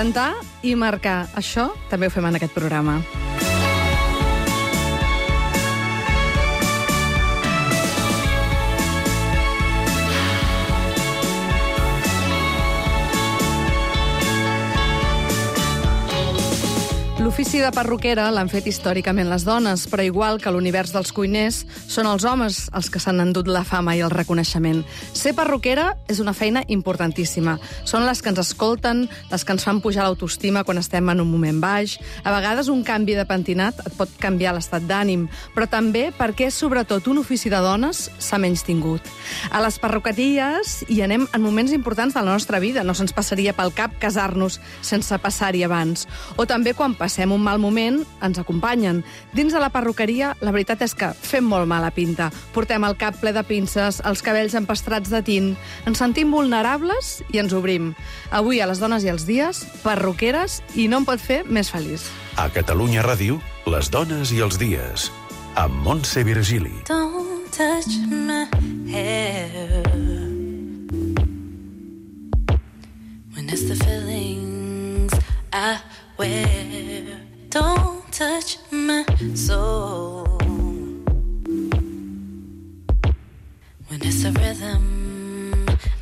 Inventar i marcar. Això també ho fem en aquest programa. L'ofici de perruquera l'han fet històricament les dones, però igual que l'univers dels cuiners, són els homes els que s'han endut la fama i el reconeixement. Ser perruquera és una feina importantíssima. Són les que ens escolten, les que ens fan pujar l'autoestima quan estem en un moment baix. A vegades un canvi de pentinat et pot canviar l'estat d'ànim, però també perquè és sobretot un ofici de dones s'ha menys tingut. A les perruqueries hi anem en moments importants de la nostra vida. No se'ns passaria pel cap casar-nos sense passar-hi abans. O també quan passem un mal moment, ens acompanyen. Dins de la perruqueria, la veritat és que fem molt mala pinta. Portem el cap ple de pinces, els cabells empastrats de tint, ens sentim vulnerables i ens obrim. Avui, a les dones i els dies, perruqueres, i no em pot fer més feliç. A Catalunya Ràdio, les dones i els dies, amb Montse Virgili. Don't touch my hair when it's the feelings I wear. Don't touch my soul when it's a rhythm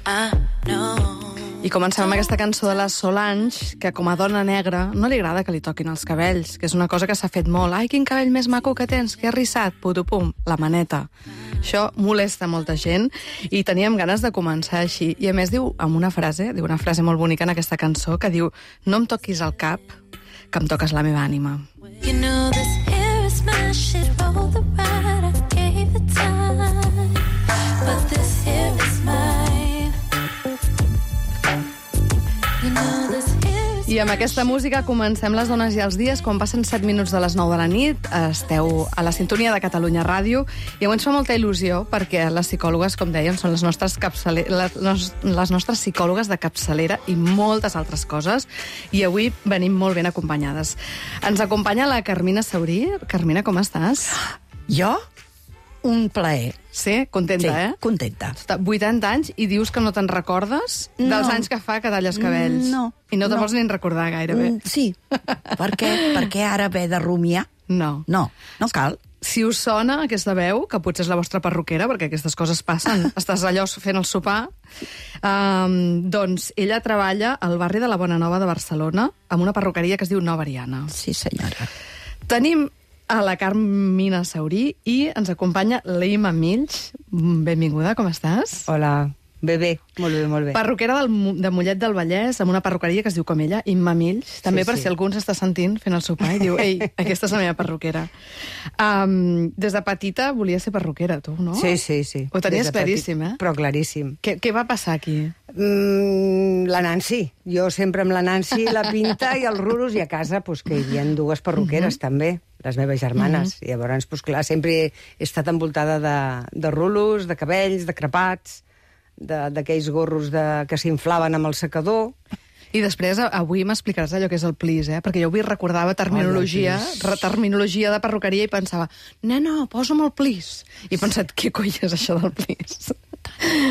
I know. I comencem amb aquesta cançó de la Solange, que com a dona negra no li agrada que li toquin els cabells, que és una cosa que s'ha fet molt. Ai, quin cabell més maco que tens, que arrissat, putupum, la maneta. Això molesta molta gent i teníem ganes de començar així. I a més diu una frase molt bonica en aquesta cançó, que diu: no em toquis el cap, que em toques la meva ànima. You know this hair is my shit, roll the ride, I gave it time, but this hair is mine. You know this hair is I amb aquesta música comencem les dones i els dies. Quan passen 7 minuts de les 9 de la nit, esteu a la sintonia de Catalunya Ràdio i avui ens fa molta il·lusió perquè les psicòlogues, com dèiem, són les nostres psicòlogues de capçalera i moltes altres coses, i avui venim molt ben acompanyades. Ens acompanya la Carmina Saurí. Carmina, com estàs? Jo? Un plaer. Sí? Contenta, Sí, contenta. 80 anys i dius que no te'n recordes dels anys que fa que talles cabells. No. I no te'n vols ni recordar gairebé. Sí. Per què? Per què ara haver de rumiar? No. No, no cal. Si us sona aquesta veu, que potser és la vostra perruquera, perquè aquestes coses passen, estàs allò fent el sopar, doncs ella treballa al barri de la Bona Nova de Barcelona amb una perruqueria que es diu Nova Ariana. Sí, senyora. Tenim a la Carmina Saurí i ens acompanya l'Ima Mills. Benvinguda, com estàs? Hola, bé, molt bé, molt bé. Perruquera de Mollet del Vallès, amb una perruqueria que es diu com ella, Imma Mills. També per si algú s'està sentint fent el sopar i diu: ei, aquesta és la meva perruquera. Des de petita volia ser perruquera, tu, no? Sí. Ho tenies Des de claríssim, petit, eh? Però claríssim. Què va passar aquí? La Nancy. Jo sempre amb la Nancy, la pinta i els rulos, i a casa pues, que hi havia dues perruqueres també, les meves germanes. I llavors, pues, clar, sempre he estat envoltada de rulos, de cabells, de crepats, d'aquells gorros que s'inflaven amb el secador. I després, avui m'explicaràs allò que és el plis, eh? Perquè jo avui recordava terminologia de perruqueria i pensava: no, posa'm el plis. I he pensat, què coi és això del plis?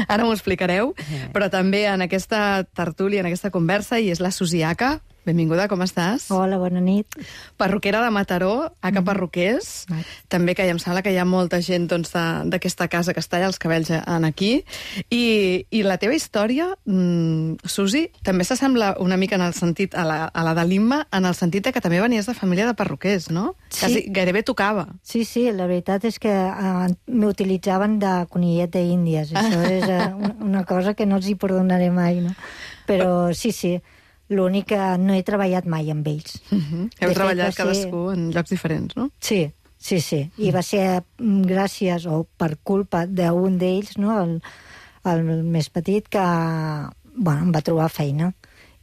Ara m'ho explicareu, però també en aquesta tertúlia, en aquesta conversa, hi és la Susiaca. Benvinguda, com estàs? Hola, bona nit. Perruquera de Mataró, Aca Perruquers. També que em sembla que hi ha molta gent doncs, d'aquesta casa que es talla els cabells aquí. I la teva història, Susi, també s'assembla una mica en el sentit a la de l'Imma, en el sentit que també venies de família de perruquers, no? Sí. Quasi, gairebé tocava. Sí, la veritat és que m'utilitzaven de conillet d'Índies. Això és una cosa que no els hi perdonaré mai, no? Però sí, l'únic que no he treballat mai amb ells. Heu treballat cadascú en llocs diferents, no? Sí. I va ser gràcies o per culpa d'un d'ells, no? el més petit, que em va trobar feina.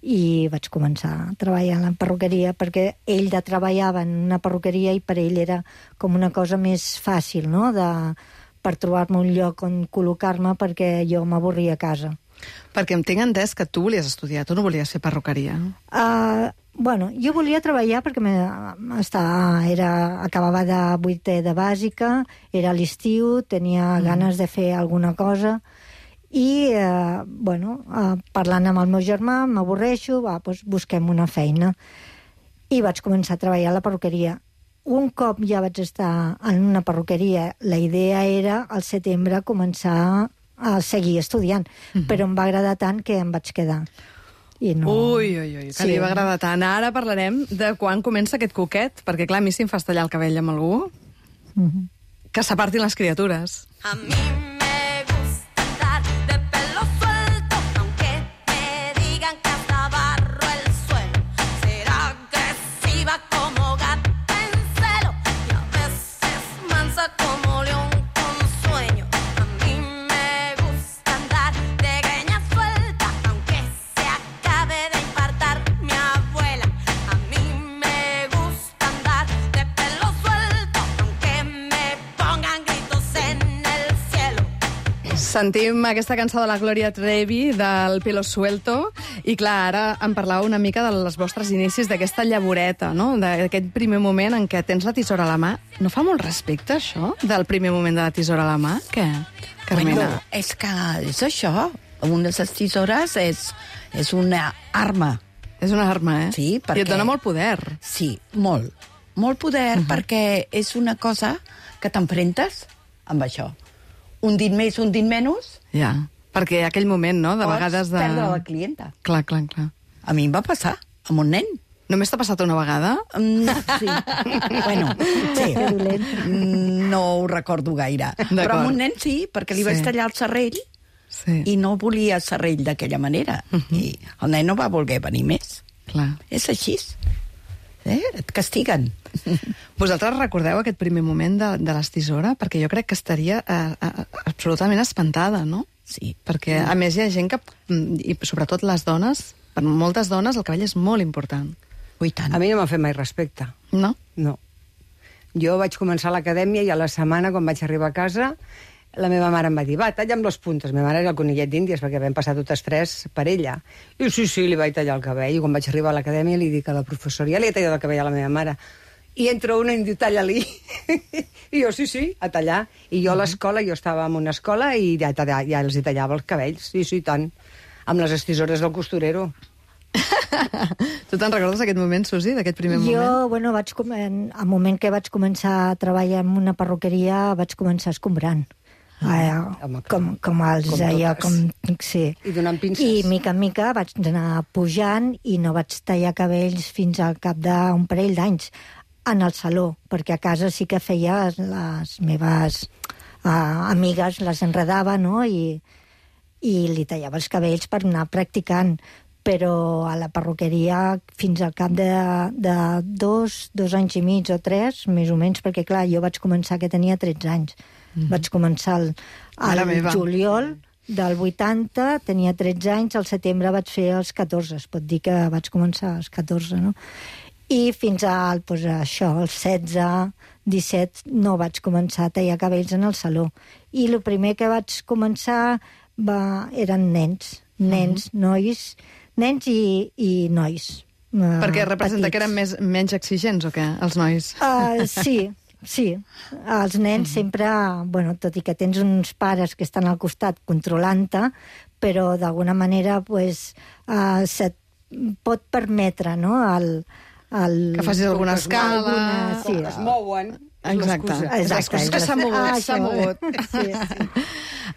I vaig començar a treballar en la perruqueria perquè ell treballava en una perruqueria i per ell era com una cosa més fàcil, no? Per trobar-me un lloc on col·locar-me perquè jo m'avorria a casa. Perquè em tinc entès que tu volies estudiar, tu no volies fer perruqueria. Jo volia treballar perquè acabava de 8è de bàsica, era a l'estiu, tenia ganes de fer alguna cosa I, parlant amb el meu germà, m'avorreixo, doncs busquem una feina. I vaig començar a treballar a la perruqueria. Un cop ja vaig estar en una perruqueria, la idea era, al setembre, començar a seguir estudiant. Però em va agradar tant que em vaig quedar. I no... Ui, que li va agradar tant. Ara parlarem de quan comença aquest coquet, perquè, clar, a mi si em fas tallar el cabell amb algú, que s'apartin les criatures. A mí me gusta andar de pelo suelto, aunque me digan que hasta barro el suelo. Ser agresiva como gata en celo y a veces mansa como león con sueño. A mí me gusta andar de greña suelta, aunque se acabe de infartar mi abuela. A mí me gusta andar de pelo suelto, aunque me pongan gritos en el cielo. Sentim aquesta cançó de la Gloria Trevi, del Pelo Suelto, i clar, ara em parlàveu una mica dels vostres inicis, d'aquesta llavoreta, no? D'aquest primer moment en què tens la tisora a la mà. No fa molt respecte, això, del primer moment de la tisora a la mà? Què, Carmena? Bueno, és que és això. Una de les tisores és una arma. És una arma, eh? Sí, perquè... I et dona molt poder. Sí, molt. Molt poder, perquè és una cosa que t'enfrentes amb això. Un dit més, un dit menys, Ja, perquè aquell moment, no?, de pots vegades de... perdre la clienta. Clar. A mi em va passar, amb un nen. Només t'ha passat una vegada? Sí. Bueno, sí. No ho recordo gaire. Però amb un nen sí, perquè li vaig tallar el serrell i no volia serrell d'aquella manera. I el nen no va voler venir més. Clar. És així. Et castiguen. Vosaltres recordeu aquest primer moment de les tisores? Perquè jo crec que estaria absolutament espantada, no? Sí. Perquè, a més, hi ha gent que, i sobretot les dones, per moltes dones el cabell és molt important. Ui, tant. A mi no m'ha fet mai respecte. No? No. Jo vaig començar a l'acadèmia i a la setmana, quan vaig arribar a casa, la meva mare em va dir, va, talla'm les puntes. La meva mare era el conillet d'Índies, perquè vam passar totes tres per ella. I sí, li vaig tallar el cabell. I quan vaig arribar a l'acadèmia li dic a la professora, ja li he tallat el cabell a la meva mare. I entra una i em diu, talla-li. I jo, sí, a tallar. I jo a l'escola, jo estava en una escola i ja els hi tallava els cabells. Sí, tant. Amb les estisores del costurero. Tu te'n recordes d'aquest moment, Susi, d'aquest primer moment? Jo, al moment que vaig començar a treballar en una perruqueria, vaig començar escombrant. Com els deia, sí. I donant pinces. I mica en mica vaig anar pujant i no vaig tallar cabells fins al cap d'un parell d'anys en el saló, perquè a casa sí que feia les meves amigues, les enredava, no?, i li tallava els cabells per anar practicant, però a la perruqueria fins al cap de 2 anys i mig o 3, més o menys, perquè clar, jo vaig començar que tenia 13 anys. Vaig començar al juliol del 80, tenia 13 anys, al setembre vaig fer els 14, es pot dir que vaig començar als 14, no? I fins al, als 16, 17, no vaig començar a tallar cabells en el saló. I el primer que vaig començar eren nens, nois, nens i nois. Perquè representa que eren menys exigents, o què, els nois? Sí. Els nens sempre, tot i que tens uns pares que estan al costat controlant-te, però d'alguna manera se't pot permetre, no?, que facis alguna escala... Sí. Es mouen. Exacte. És que s'ha mogut. Sí.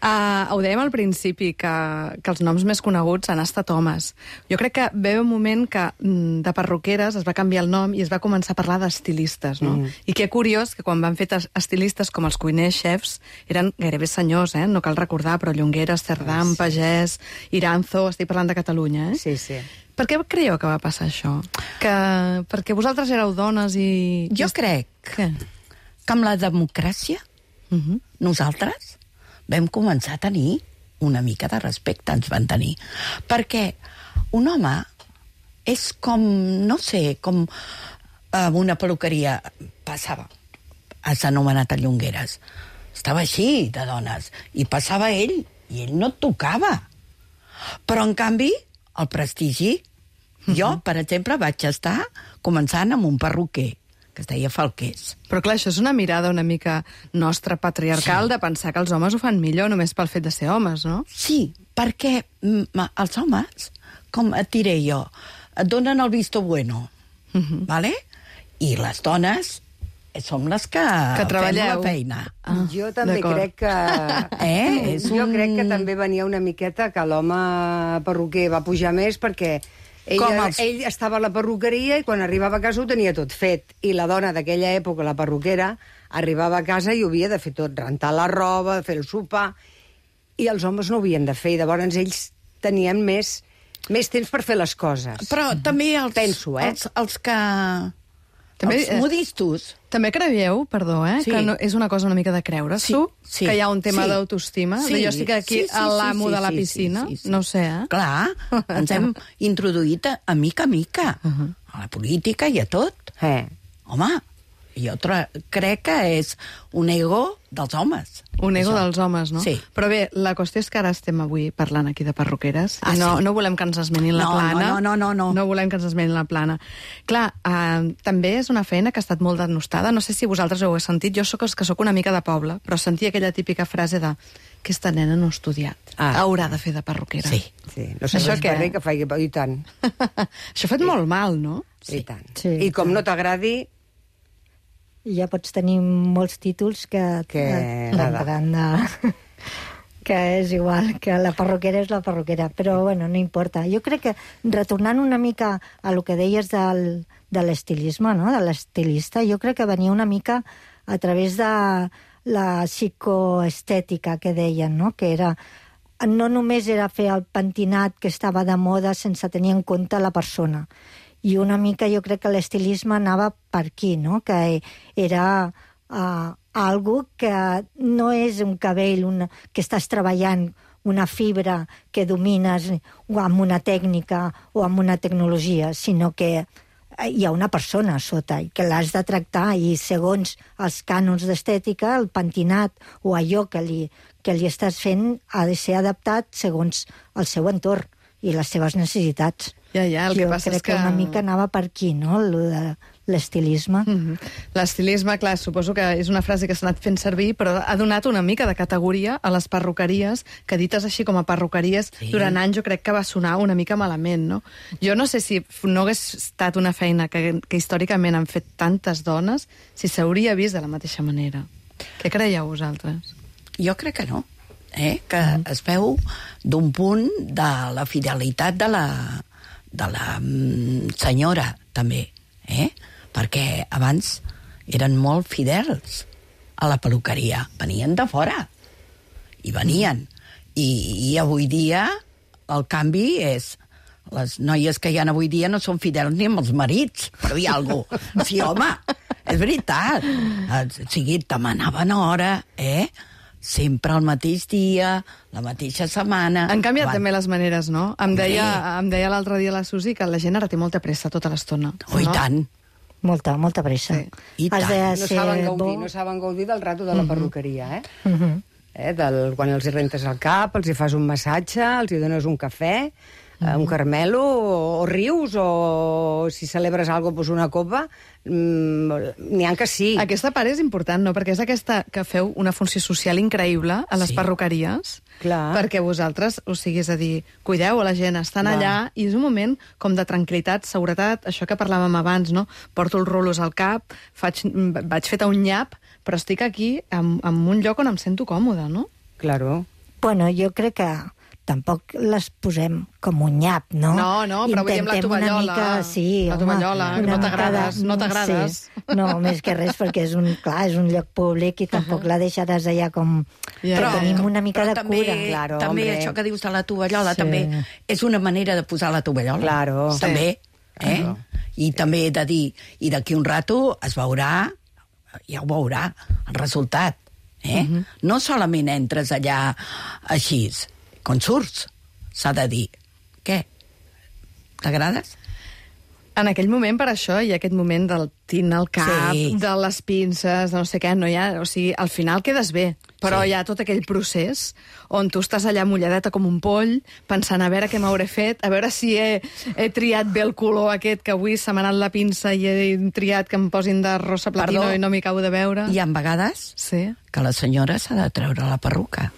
Ho dèiem al principi, que els noms més coneguts han estat homes. Jo crec que ve un moment que de perruqueres es va canviar el nom i es va començar a parlar d'estilistes, no? I que curiós que quan van fer estilistes com els cuiners xefs eren gairebé senyors, no cal recordar, però Llongueras, Cerdán, Pagès, Iranzo, estic parlant de Catalunya, Sí. Per què creieu que va passar això? Perquè vosaltres éreu dones i... Jo crec que amb la democràcia nosaltres vam començar a tenir una mica de respecte, ens van tenir. Perquè un home és com, no sé, com una perruqueria passava. Has anomenat a Llongueras. Estava així, de dones. I passava ell, i ell no et tocava. Però, en canvi, el prestigi... Jo, per exemple, vaig estar començant amb un perruquer que es deia Falqués. Però clar, això és una mirada una mica nostra patriarcal, de pensar que els homes ho fan millor només pel fet de ser homes, no? Sí, perquè els homes, com et diré jo, et donen el visto bueno, vale? I les dones som les que treballeu. fem la feina. Jo també d'acord. crec que... Jo crec que també venia una miqueta que l'home perruquer va pujar més perquè ell estava a la perruqueria i quan arribava a casa ho tenia tot fet. I la dona d'aquella època, la perruquera, arribava a casa i ho havia de fer tot, rentar la roba, fer el sopar, i els homes no ho havien de fer, i llavors ells tenien més temps per fer les coses. Però també Penso, els que... També, els modistos. També creieu, perdó, Sí. que no, és una cosa una mica de creure's-ho? Sí. Que hi ha un tema Sí. d'autoestima? Sí. Jo estic aquí a l'amo de la piscina? Sí. No ho sé, eh? Clar, ens hem introduït a mica a mica, a la política i a tot. Home, jo crec que és un ego dels homes. Un ego això. dels homes, no? Sí. Però bé, la qüestió és que ara estem avui parlant aquí de perruqueres. Ah, I no sí? volem que ens esmenin la No, plana. no. No volem que ens esmenin la plana. Clar, també és una feina que ha estat molt denostada. No sé si vosaltres ho heu sentit. Jo sóc una mica de poble, però sentia aquella típica frase de aquesta nena no ha estudiat. Haurà de fer de perruquera. Sí. No sé Això res què? per rer que faci... I tant. Això ha fet molt mal, no? I tant. Sí, I com no t'agradi... I ja pots tenir molts títols que t'agradaran de... que és igual, que la perruquera és la perruquera, però bueno, no importa. Jo crec que, retornant una mica a lo que deies de l'estilisme, no? De l'estilista, jo crec que venia una mica a través de la psicoestètica que deien, no? Que era, no només era fer el pentinat que estava de moda sense tenir en compte la persona. I una mica jo crec que l'estilisme anava per aquí, no? Que era algo que no és un cabell que estàs treballant, una fibra que domines o amb una tècnica o amb una tecnologia, sinó que hi ha una persona sota i que l'has de tractar, i segons els cànons d'estètica, el pentinat o allò que li estàs fent ha de ser adaptat segons el seu entorn i les seves necessitats. Ja, el que passa crec és que... una mica anava per aquí, no?, l'estilisme. L'estilisme, clar, suposo que és una frase que s'ha anat fent servir, però ha donat una mica de categoria a les perruqueries, que dites així com a perruqueries, durant anys jo crec que va sonar una mica malament, no? Jo no sé si no hagués estat una feina que històricament han fet tantes dones, si s'hauria vist de la mateixa manera. Què creieu vosaltres? Jo crec que no, que es veu d'un punt de la fidelitat de la senyora, també, perquè abans eren molt fidels a la perruqueria, venien de fora, i venien. I avui dia el canvi és... Les noies que hi ha avui dia no són fidels ni amb els marits, per dir alguna cosa. Sí, home, és veritat. O sigui, demanaven hora, sempre el mateix dia, la mateixa setmana... Han canviat també les maneres, no? Em deia l'altre dia la Susi que la gent ara té molta pressa tota l'estona. Oh, i tant. Molta pressa. Sí. I tant. No saben gaudir del rato de la perruqueria, quan els hi rentes el cap, els hi fas un massatge, els hi dones un cafè, un caramelo, o rius, o si celebres alguna cosa, una copa, n'hi ha que sí. Aquesta part és important, no? Perquè és aquesta que feu una funció social increïble a les perruqueries. Clar. Perquè vosaltres, o sigui, és a dir, cuideu a la gent, estan allà, i és un moment com de tranquil·litat, seguretat, això que parlàvem abans, no? Porto els rulos al cap, vaig fet un nyap, però estic aquí en un lloc on em sento còmode, no? Claro. Bueno, jo crec que tampoc les posem com un nyap, no? No, però vull dir amb la tovallola. Una mica, sí, la tovallola, que no t'agrades. Sí. No, més que res, perquè és un lloc públic i tampoc la deixaràs allà com... Però tenim una mica de també, cura. Claro, també hombre. això que dius de la tovallola, Sí. també és una manera de posar la tovallola. Claro. També, I també he de dir, i d'aquí un rato es veurà, ja ho veurà, el resultat. No solament entres allà així, quan surts, s'ha de dir, què? T'agrades? En aquell moment, per això, hi ha aquest moment del partint el cap, Sí. de les pinces, de no sé què, no hi ha... O sigui, al final quedes bé, però hi ha tot aquell procés on tu estàs allà mulladeta com un poll, pensant a veure què m'hauré fet, a veure si he triat bé el color aquest, que avui se m'ha anat la pinça i he triat que em posin de rosa platino Perdó. i no m'hi acabo de veure. Hi ha vegades Sí. que la senyora s'ha de treure la perruca.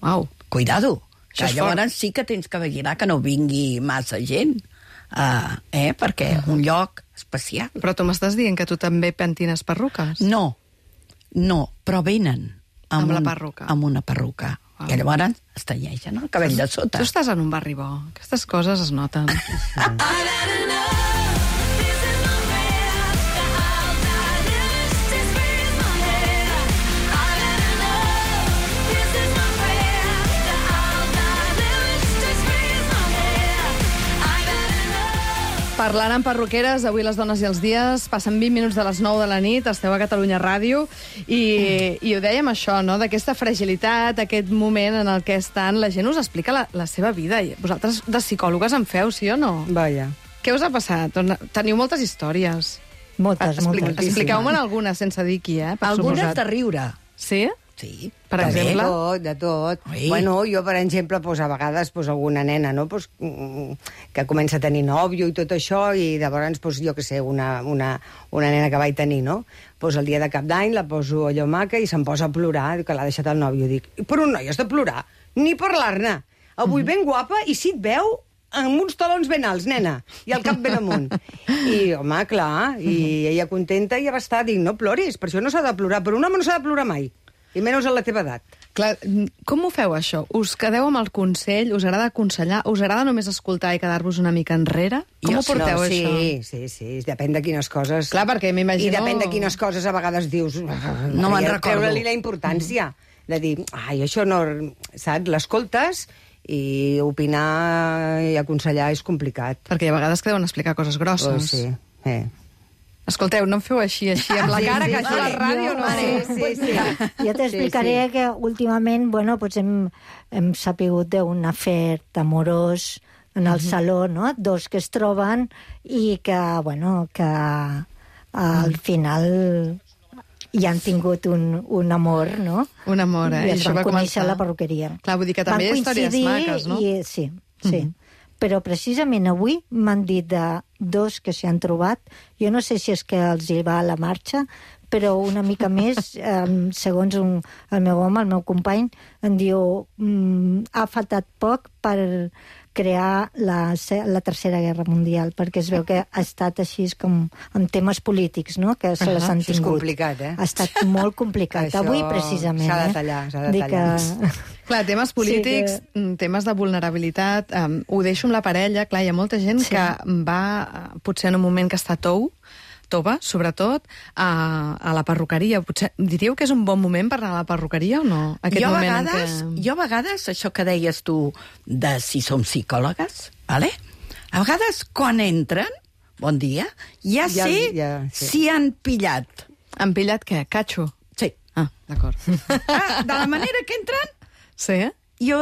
Uau. Cuidado, Això que és llavors sí que tens que vigilar que no vingui massa gent, perquè un lloc especial. Però tu m'estàs dient que tu també pentines perruques? No, però venen Amb la perruca. Amb una perruca. Wow. I llavors es tenyeixen el cabell de sota. Tu estàs en un barri bo. Aquestes coses es noten. Parlant amb perruqueres, avui les dones i els dies, passen 20 minuts de les 9 de la nit, esteu a Catalunya Ràdio, i ho dèiem això, no?, d'aquesta fragilitat, aquest moment en el que estan, la gent us explica la seva vida. I vosaltres de psicòlogues en feu, sí o no? Vaja. Què us ha passat? Teniu moltes històries. Moltes. Expliqueu-me'n algunes sense dir qui, per Algunes suposat. de riure. Sí? Sí. Per també. exemple? De tot. Ui. Bueno, jo, per exemple, a vegades alguna nena, no?, que comença a tenir nòvio i tot això, i llavors, jo què sé, una nena que vaig tenir, no?, el dia de Cap d'Any la poso allò maca i se'm posa a plorar, que l'ha deixat el nòvio. Dic, però un noi has de plorar? Ni parlar-ne. Avui ben guapa, i si et veu amb uns talons ben alts, nena, i el cap ben amunt. I, home, clar, i ella contenta i ja va estar. Dic, no ploris, per això no s'ha de plorar, però un home no s'ha de plorar mai. I menys a la teva edat. Clar, com ho feu, això? Us quedeu amb el consell? Us agrada aconsellar? Us agrada només escoltar i quedar-vos una mica enrere? Com ho porteu, això? Sí, depèn de quines coses... Clar, perquè m'imagino... I depèn de quines coses a vegades dius... No me'n recordo. Treure-li la importància. De dir, ai, això no... Saps? L'escoltes i opinar i aconsellar és complicat. Perquè a vegades que deuen explicar coses grosses. Sí. Escolteu, no em feu així, amb la cara, que això a la ràdio no... Sí. Jo t'explicaré que últimament, pues hem sapigut d'un afer amorós en el saló, no?, dos que es troben i que al final hi han tingut un amor, no? Un amor, I es això van va conèixer començar. a la perruqueria. Clar, vull dir que també hi ha històries maques, no? Sí. Però precisament avui m'han dit de dos que s'hi han trobat. Jo no sé si és que els hi va a la marxa, però una mica més, segons el meu home, el meu company, em diu ha faltat poc per crear la Tercera Guerra Mundial, perquè es veu que ha estat així com amb temes polítics, no?, que se les han Això és tingut. complicat, Ha estat molt complicat. Això Avui, precisament. s'ha de tallar, s'ha de Dic tallar. Clar, temes polítics, temes de vulnerabilitat, ho deixo amb la parella. Clar, hi ha molta gent que va, potser en un moment que està tova, sobretot, a la perruqueria. Potser diríeu que és un bon moment per anar a la perruqueria o no? Jo a vegades, això que deies tu de si som psicòlogues, vale? A vegades, quan entren, bon dia, ja sé si han pillat. Han pillat què? Catxo? Sí. Ah, d'acord. De la manera que entren, Sí? jo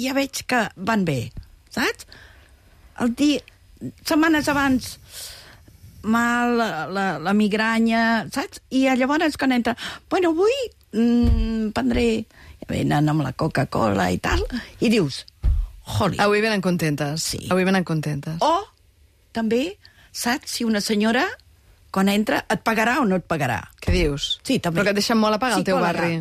ja veig que van bé, saps? Setmanes abans mal, la migranya, saps? I llavors quan entra, bueno, avui prendré, venen amb la Coca-Cola i tal, i dius, joli. Avui venen contentes. Sí. Avui venen contentes. O, també, saps si una senyora, quan entra, et pagarà o no et pagarà? Què dius? Sí, també. Però que et deixen molt a pagar al teu Psicòloga. barri.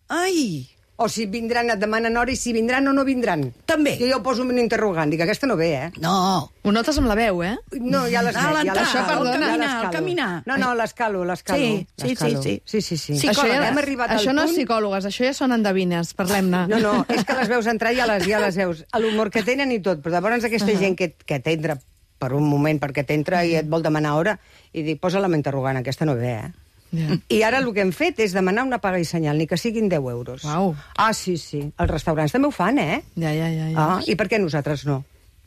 Ai, O si vindran, et demanen hora, i si vindran o no vindran. també. Jo poso un interrogant, dic, aquesta no ve, No, Ho notes amb la veu, eh? No, ja l'escalo. l'entrar, això, perdona. el caminar. No, l'escalo. Sí. Sí. Això, Hem arribat al això no és punt... psicòlogues, això ja són endevines, parlem-ne. No, és que les veus entrar i ja les veus. L'humor que tenen i tot, però llavors aquesta gent que t'entra per un moment, perquè t'entra i et vol demanar hora, i dic, posa-la amb interrogant, aquesta no ve, Ja. I ara el que hem fet és demanar una paga i senyal, ni que siguin 10 euros. Uau. Ah, sí. Els restaurants també ho fan, Ja. Ah, i per què nosaltres no?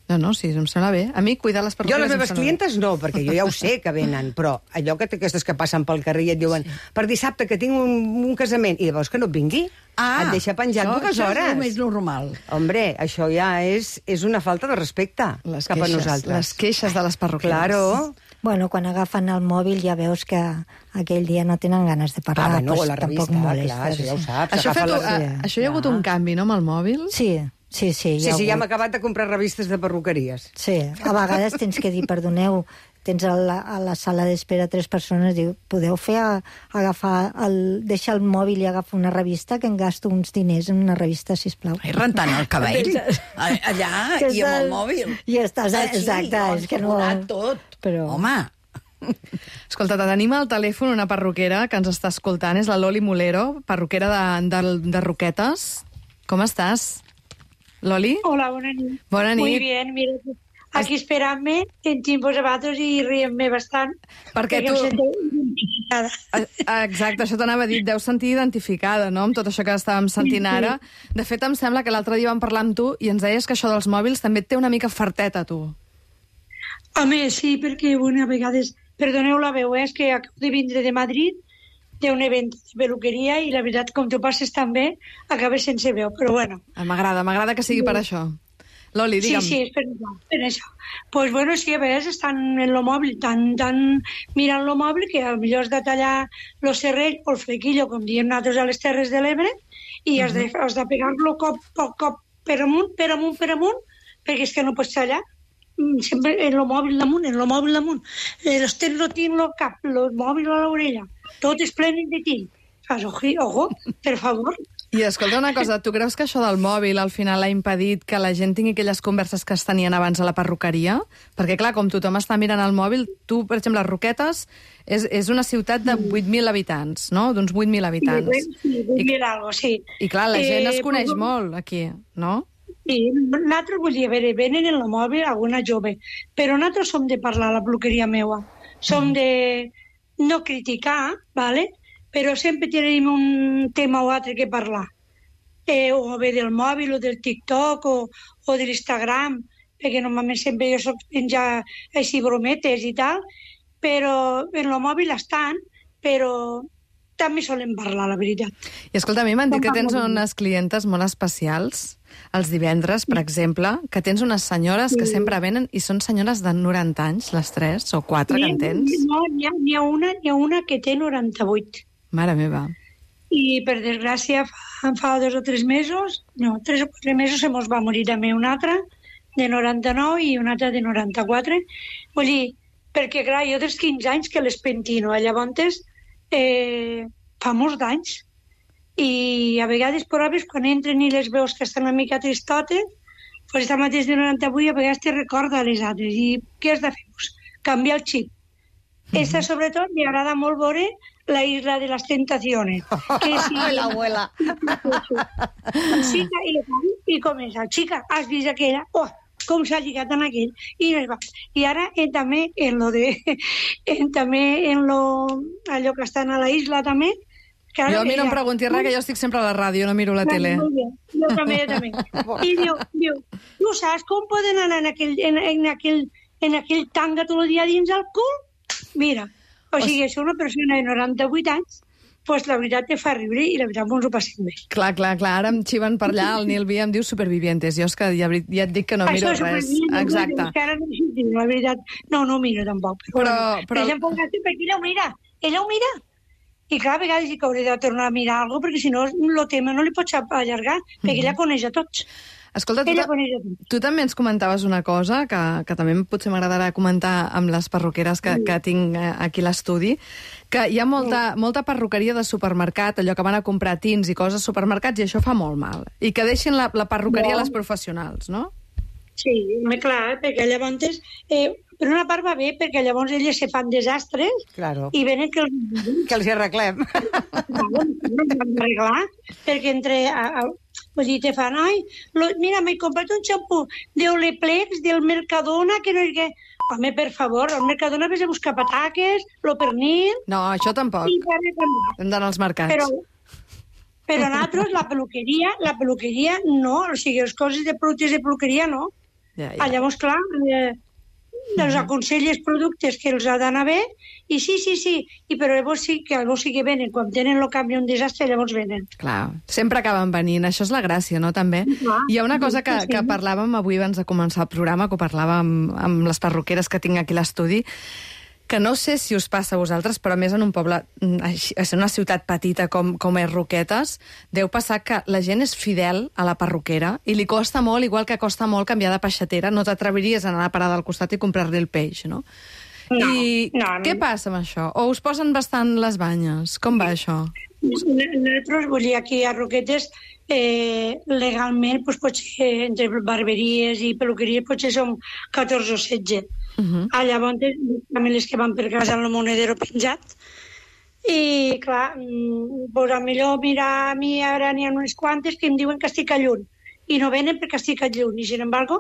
No, sí, em sembla bé. A mi cuidar les Jo perruqueres... les em meves sembla bé. clientes no, perquè jo ja ho sé que venen, però allò que aquestes que passen pel carrer i et diuen per dissabte que tinc un casament, i llavors que no et vingui, et deixa penjat 2 hores. Això és el més normal. Hombre, això ja és una falta de respecte Les cap a queixes, nosaltres. les queixes de les perruqueres. Claro. Bueno, quan agafen el mòbil ja veus que aquell dia no tenen ganes de parlar. Bueno, pues la revista, tampoc molestes. clar, això ja ho saps. Això, agafa això hi ha hagut un canvi, no, amb el mòbil? Sí. Sí, ja hem acabat de comprar revistes de perruqueries. Sí, a vegades tens que dir, perdoneu, tens a la sala d'espera 3 persones, diu, podeu deixar el mòbil i agafar una revista, que em gasto uns diners en una revista, sisplau. Ai, rentant el cabell, allà, i amb el mòbil. I estàs, exacte, és que no... tot. Però... Home, Escolta, tenim al telèfon una perruquera que ens està escoltant, és la Loli Molero, perruquera de Roquetes. Com estàs, Loli? Hola, bona nit. Bona nit. Muy bien, mira, aquí esperant-me, sentint vosaltres i rient-me bastant. Perquè tu... em sento identificada. Exacte, això t'anava a dir, deus sentir identificada, no?, amb tot això que estàvem sentint ara. De fet, em sembla que l'altre dia vam parlar amb tu i ens deies que això dels mòbils també et té una mica farteta, tu. Home, sí, perquè bueno, a vegades... Perdoneu la veu, és que acabo de vindre de Madrid d'un event de peluqueria i la veritat, com tu passes tan bé, acabes sense veu, però bueno. M'agrada que sigui per això. Loli, digue'm. Sí, és per això. Pues bueno, sí, a vegades estan en lo mòbil, tan mirant lo mòbil que potser has de tallar lo serrell o el flequillo, com diem nosaltres a les Terres de l'Ebre, i has de pegar-lo cop per amunt, perquè és que no pots tallar. Sempre en lo mòbil damunt, los tens lo tinc al cap, el mòbil a l'orella, tot és plenen de tint. Fas, ojo, per favor. I escolta una cosa, tu creus que això del mòbil al final ha impedit que la gent tingui aquelles converses que es tenien abans a la perruqueria? Perquè, clar, com tothom està mirant el mòbil, tu, per exemple, Roquetes és una ciutat de 8.000 habitants, no?, d'uns 8.000 habitants. Sí, 8.000 algo, sí. I, clar, la gent es coneix molt aquí, no? Sí, nosaltres, vull dir, a veure, venen en el mòbil alguna jove, però nosaltres som de parlar a la peluqueria meua. Som de no criticar, ¿vale? Però sempre tenim un tema o altre que parlar. O bé del mòbil, o del TikTok, o de l'Instagram, perquè normalment sempre jo soc penjar així brometes i tal, però en el mòbil estan, però també solen parlar, la veritat. I escolta, a mi m'han dit que tens unes clientes molt especials, els divendres, per exemple, que tens unes senyores que sempre venen i són senyores de 90 anys, les 3 o 4 que en tens. No, n'hi ha una que té 98. Mare meva. I, per desgràcia, fa 2 o 3 mesos, no, 3 o 4 mesos se mos va morir també una altra de 99 i una altra de 94. Vull dir, perquè, clar, jo dels 15 anys que les pentino, llavors fa molts d'anys. I a vegades proves quan entren i les veus que estan una mica tristotes, pues esta mateix de 98 a vegades te recorda a les altres. I què has de fer? Pues canviar el xip. Esta, sobretot, li agrada molt veure La Isla de las Tentaciones. Que si... L'abuela. Chica, i comença, chica, has vist aquella? Oh, com s'ha lligat en aquell. I ara també allò que estan a la isla també. Claro, jo a mi no em preguntis res, que jo estic sempre a la ràdio, no miro la tele. Jo també. I diu, tu saps com poden anar en aquell tanga tot el dia dins el cul? Mira, o sigui, és una persona de 98 anys, pues la veritat te fa riure i la veritat ens ho passem bé. Clar, ara em xiven per allà, el Nil Via em diu Supervivientes, jo és que ja et dic que no miro res. Exacte. La veritat, no miro tampoc. Però... Ella ho mira. I clar, a vegades que hauré de tornar a mirar alguna cosa, perquè si no el tema no li pots allargar, perquè ella coneix a tots. Escolta, tu també ens comentaves una cosa que també potser m'agradarà comentar amb les perruqueres que tinc aquí a l'estudi, que hi ha molta perruqueria de supermercat, allò que van a comprar tins i coses a supermercats, i això fa molt mal. I que deixin la perruqueria a les professionals, no? Sí, clar, perquè llavors... Per una part va bé, perquè llavors elles se fan desastres i venen que els hi arreglem. Arreglar, perquè vull dir, te fan, mira, m'he comprat un xampú d'Oleplex, del Mercadona, que no és que... Home, per favor, al Mercadona vés a buscar pataques, lo pernil... No, això tampoc. Hem d'anar als mercats. Però nosaltres, la peluqueria no, o sigui, les coses de productes de peluqueria no. Llavors, clar... els aconselles productes que els ha d'anar bé i sí, però llavors sí que venen, quan tenen el canvi un desastre, llavors venen. Clar, sempre acaben venint, això és la gràcia, no, també? Hi ha una cosa que parlàvem avui abans de començar el programa, que ho parlàvem amb les perruqueres que tinc aquí a l'estudi, que no sé si us passa a vosaltres, però més en un poble, en una ciutat petita com és Roquetes, deu passar que la gent és fidel a la perruquera i li costa molt, igual que costa molt canviar de peixatera, no t'atreviries a anar a la parada al costat i comprar-li el peix, no? Què passa amb això? O us posen bastant les banyes? Com va això? Nosaltres, vull dir, aquí a Roquetes, legalment, doncs, potser entre barberies i peluqueries potser som 14 o 16. Llavors, també les que van per casa amb el monedero penjat. I, clar, doncs, a millor, mira, a mi ara n'hi ha unes quantes que em diuen que estic a lluny. I no venen perquè estic a lluny. I, sin embargo,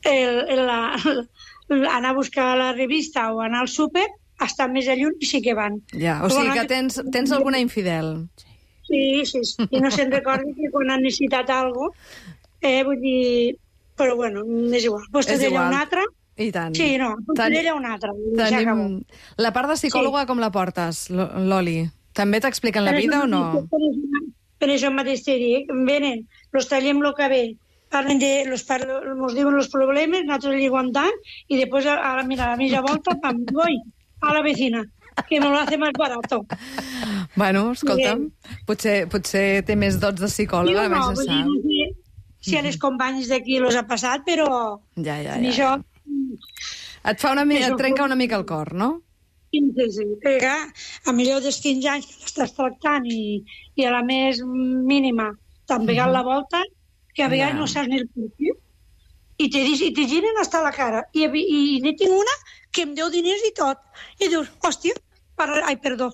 anar a buscar la revista o anar al súper està més a lluny i sí que van. Ja, o sigui que tens alguna infidel. Sí. I no se'n recorda que quan han necessitat alguna cosa, vull dir... Però, bueno, és igual. Pues d'ella una altra... I tant. Sí, no, d'ella una altra. La part de psicòloga com la portes, Loli? També t'expliquen la vida o no? Per això mateix t'he dit, venen, los tallem el cabell, parlen nos diuen els problemes, nosaltres li aguantam, i després, mira, a mitja volta, pam, voy a la vecina, que me lo hace más barato. Bueno, escolta'm, potser té més dots de psicòloga, no, vull dir, si a les companyes d'aquí los ha passat, però ja. això... Et trenca una mica el cor, no? Sí, a millor dels 15 anys que l'estàs tractant i a la més mínima t'han pegat la volta, que a vegades no saps ni el motiu, i te giren hasta la cara. I n'hi tinc una que em deu diners i tot. I dius, hòstia, ai, perdó.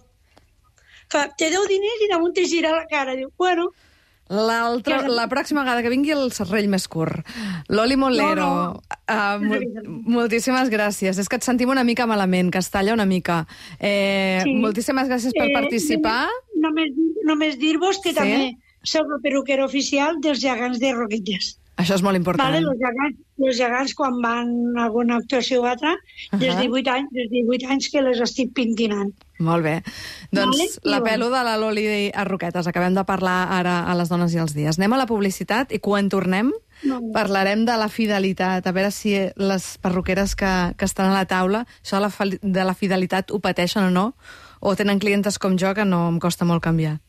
Te deu diners i damunt te gira la cara. Diu, bueno... La pròxima vegada que vingui el serrell més curt. Loli Mollero, moltíssimes gràcies. És que et sentim una mica malament, que es talla una mica. Moltíssimes gràcies per participar. Només dir-vos que també soc la perruquera oficial dels gegants de Roquetes. Això és molt important. Els gegants, quan van a alguna actuació o altra, des de 18 anys que les estic pintinant. Molt bé. Doncs la pelo de la Loli a Roquetes. Acabem de parlar ara a les dones i els dies. Anem a la publicitat i quan tornem parlarem de la fidelitat. A veure si les perruqueres que estan a la taula, això de la fidelitat ho pateixen o no, o tenen clientes com jo que no em costa molt canviar.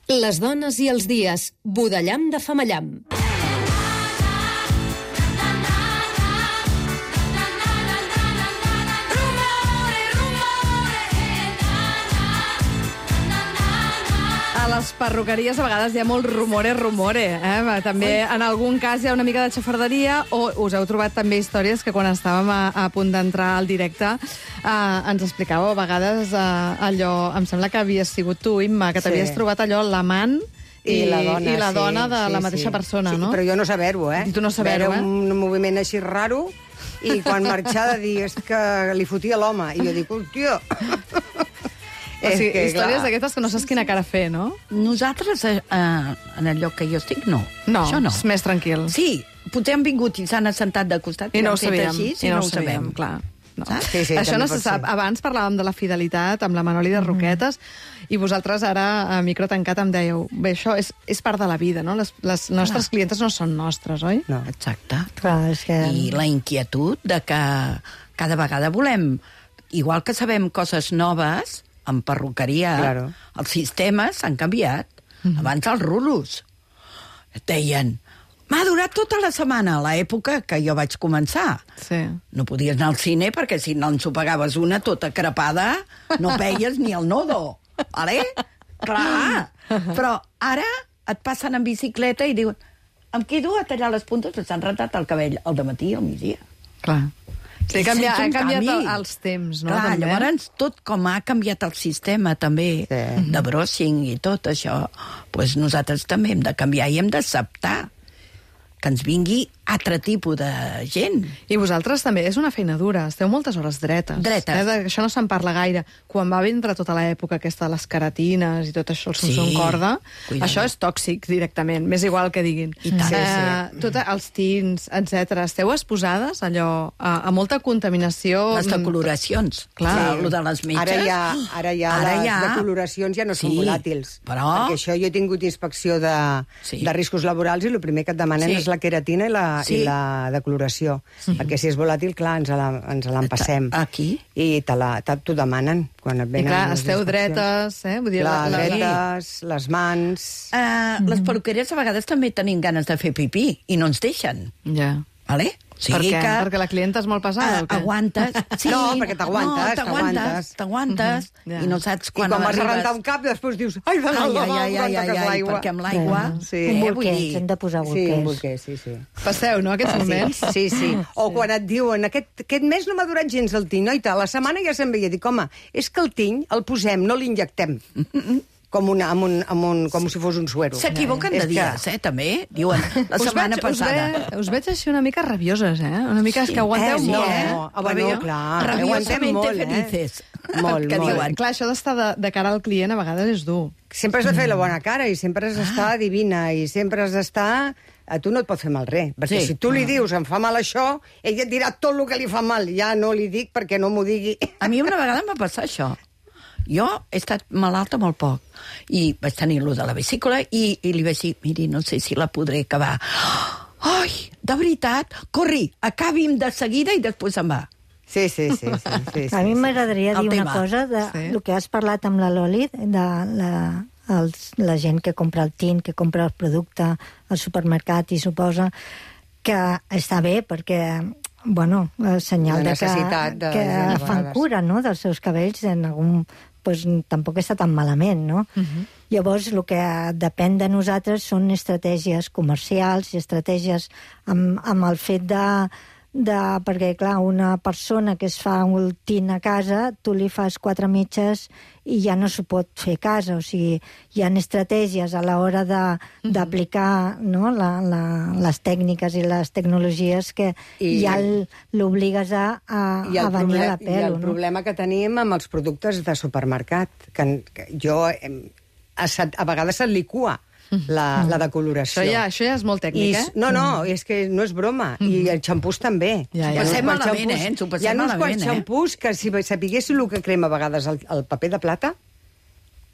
Les dones i els dies. Budellam de Famallam. A les perruqueries a vegades hi ha molt rumore. També en algun cas hi ha una mica de xafarderia, o us heu trobat també històries que quan estàvem a punt d'entrar al directe ens explicàveu a vegades allò, em sembla que havies sigut tu, Imma, que t'havies trobat allò l'amant i la dona de la mateixa persona, no? Però jo no saber-ho, I tu no saber-ho, Era un moviment així raro, i quan marxava de dir és que li fotia l'home, i jo dic, hòstia... O sigui, històries d'aquestes que no saps quina cara fer, no? Nosaltres, en el lloc que jo estic, no. No, això no. És més tranquil. Sí, potser han vingut i s'han assentat de costat i no ho sabíem, així, no ho sabem. Clar. No. Sí, això no se sap. Abans parlàvem de la fidelitat amb la Manoli de Roquetes i vosaltres ara, a micro tancat, em dèieu bé, això és part de la vida, no? Les nostres clientes no són nostres, oi? No. Exacte. Clar, és que... I la inquietud de que cada vegada volem, igual que sabem coses noves, en perruqueria, els sistemes s'han canviat. Abans els rulos et deien, m'ha durat tota la setmana, a l'època que jo vaig començar. Sí. No podies anar al cine perquè si no ens ho pagaves una tota crepada, no veies ni el nodo. Vale? Clar. Però ara et passen en bicicleta i diuen, em quedo a tallar les puntes, però s'han rentat el cabell al dematí i al migdia. Clar. Sí, ha canviat els temps, no? Clar, llavors tot com ha canviat el sistema també de brushing i tot això, doncs nosaltres també hem de canviar i hem d'acceptar que ens vingui altre tipus de gent. I vosaltres també, és una feina dura, esteu moltes hores dretes. Això no se'n parla gaire. Quan va vindre tota l'època aquesta de les keratines i tot això, el Samsung corda, això és tòxic directament, m'és igual que diguin. I tant. Els tints, etc. Esteu exposades allò a molta contaminació. Les decoloracions. Clar, el de les metges. Ara ja les decoloracions ja no són volàtils. Però... Perquè això jo he tingut inspecció de riscos laborals i el primer que et demanen és la queratina i la i la decoloració. Perquè si és volàtil, clar, ens l'empassem. Aquí? I t'ho demanen quan et I venen clar, les esteu inspeccions. dretes, Vull dir, Clar, dretes, les mans... Les perruqueries a vegades també tenim ganes de fer pipí i no ens deixen. Ja. Vale? O sigui Per què? Perquè la clienta és molt pesada, o què? Aguantes. Sí. No, perquè t'aguantes, t'aguantes. T'aguantes. Ja. I no saps I quan quan vas a arribes... rentar un cap, després dius... Ai, de l'aigua, perquè amb l'aigua... Sí. Un vull bolquer, dir... hem de posar Sí, bolquers. un bolquer, sí. Passeu, no, aquests moments? Sí. O quan et diuen, aquest mes no m'ha durat gens el tiny, oi, la setmana ja se'n veia. Dic, home, és que el tiny el posem, no l'injectem. Com si fos un suero. S'equivoquen de És que- dies, també. Diuen, la setmana passada. Us veig així una mica rabioses, Una mica és que aguanteu sí, molt, bueno, clar, aguantem molt, felices. Molt, que molt. diuen. Clar, això d'estar de cara al client a vegades és dur. Sempre has de fer la bona cara i sempre has d'estar divina i sempre has d'estar... A tu no et pot fer mal res, perquè Sí. si tu li dius em fa mal això, ella et dirà tot el que li fa mal. Ja no li dic perquè no m'ho digui. A mi una vegada em va passar això. Jo he estat malalta molt poc i vaig tenir lo de la vesícula i li vaig dir, miri, no sé si la podré acabar. Ai, de veritat, corri, acabi'm de seguida i després se'n va. Sí. A mi m'agradaria El dir una tema. cosa de el que has parlat amb la Loli, de la gent que compra el tint, que compra el producte al supermercat i suposa que està bé perquè senyal La de que necessitat de gent, a fan vegades. cura, no?, dels seus cabells en algun... Pues, tampoc està tan malament, no? Llavors, el que depèn de nosaltres són estratègies comercials i estratègies amb el fet perquè, clar, una persona que es fa un tint a casa, tu li fas 4 mitges i ja no s'ho pot fer a casa. O sigui, hi ha estratègies a l'hora d'aplicar no, les tècniques i les tecnologies que ja l'obligues a banyar la pell. I el problema que tenim amb els productes de supermercat, que jo a vegades se't licua la decoloració. Això ja és molt tècnic, No, és que no és broma. I els xampús també. Ja. Ho passem malament, ens ho Hi ha passem uns quants malament, xampús que si sapiguéssiu el que crema a vegades el paper de plata,